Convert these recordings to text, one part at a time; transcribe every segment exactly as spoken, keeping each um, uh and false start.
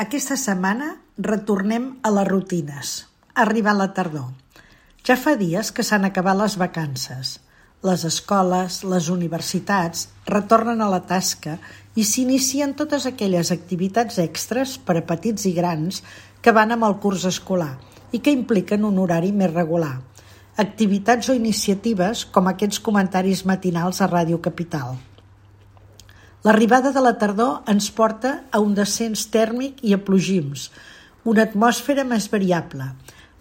Aquesta setmana retornem a les rutines. Ha arribat la tardor. Ja fa dies que s'han acabat les vacances. Les escoles, les universitats retornen a la tasca i s'inicien totes aquelles activitats extres per a petits i grans que van amb el curs escolar i que impliquen un horari més regular. Activitats o iniciatives com aquests comentaris matinals a Ràdio Capital. L'arribada de la tardor ens porta a un descens tèrmic i a plogims, una atmosfera més variable.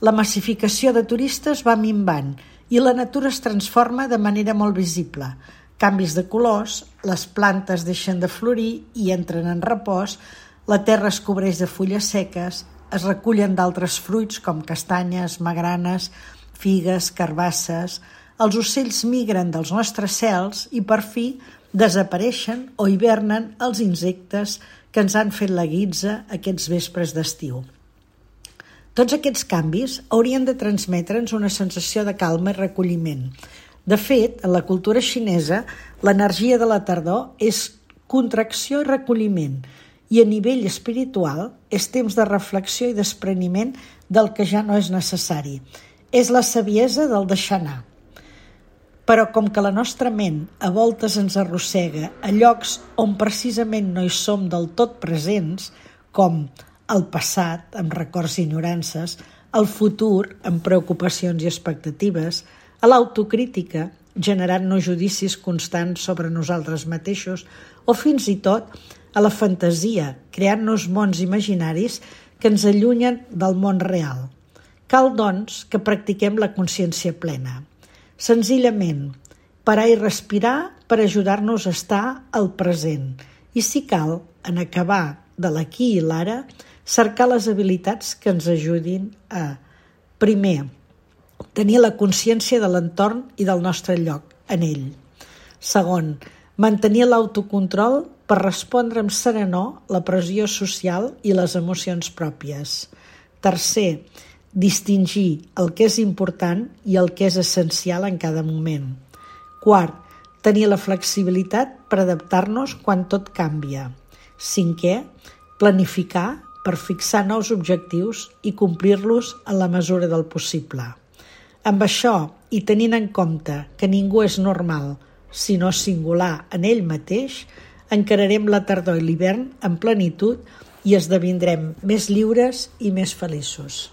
La massificació de turistes va minvant i la natura es transforma de manera molt visible. Canvis de colors, les plantes deixen de florir i entren en repòs, la terra es cobreix de fulles seques, es recullen d'altres fruits com castanyes, magranes, figues, carbasses. Els ocells migren dels nostres cels i per fi desapareixen o hivernen els insectes que ens han fet la guitza aquests vespres d'estiu. Tots aquests canvis haurien de transmetre'ns una sensació de calma i recolliment. De fet, en la cultura xinesa, l'energia de la tardor és contracció i recolliment, i a nivell espiritual és temps de reflexió i despreniment del que ja no és necessari. És la saviesa del deixar anar. Però com que la nostra ment a voltes ens arrossega a llocs on precisament no hi som del tot presents, com el passat, amb records i enyorances, el futur, amb preocupacions i expectatives, a l'autocrítica, generant-nos judicis constants sobre nosaltres mateixos, o fins i tot a la fantasia, creant-nos mons imaginaris que ens allunyen del món real. Cal, doncs, que practiquem la consciència plena. Senzillament, parar i respirar per ajudar-nos a estar al present i, si cal, en acabar de l'aquí i l'ara, cercar les habilitats que ens ajudin a, primer, tenir la consciència de l'entorn i del nostre lloc en ell. Segon, mantenir l'autocontrol per respondre amb serenor la pressió social i les emocions pròpies. Tercer, distingir el que és important i el que és essencial en cada moment. Quart, tenir la flexibilitat per adaptar-nos quan tot canvia. Cinquè, planificar per fixar nous objectius i complir-los en la mesura del possible. Amb això, i tenint en compte que ningú és normal, sinó singular en ell mateix, encararem la tardor i l'hivern en plenitud i esdevindrem més lliures i més feliços.